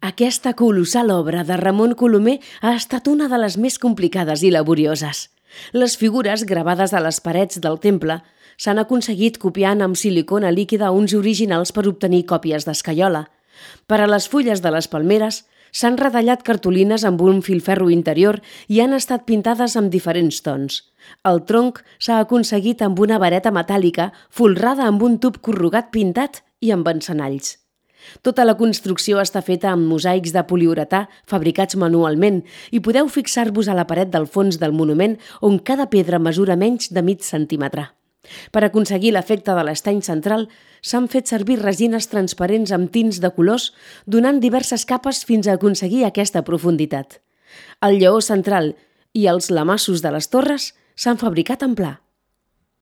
Aquesta colossal obra de Ramon Colomer ha estat una de les més complicades i laborioses. Les figures gravades a les parets del temple s'han aconseguit copiant amb silicona líquida uns originals per obtenir còpies d'escaiola. Per a les fulles de les palmeres s'han retallat cartolines amb un filferro interior i han estat pintades amb diferents tons. El tronc s'ha aconseguit amb una vareta metàl·lica folrada amb un tub corrugat pintat i amb encenalls. Tota la construcció està feta amb mosaics de poliuretà fabricats manualment i podeu fixar-vos a la paret del fons del monument on cada pedra mesura menys de mig centímetre. Per aconseguir l'efecte de l'estany central, s'han fet servir resines transparents amb tints de colors, donant diverses capes fins a aconseguir aquesta profunditat. El lleó central i els lamassos de les torres s'han fabricat en pla.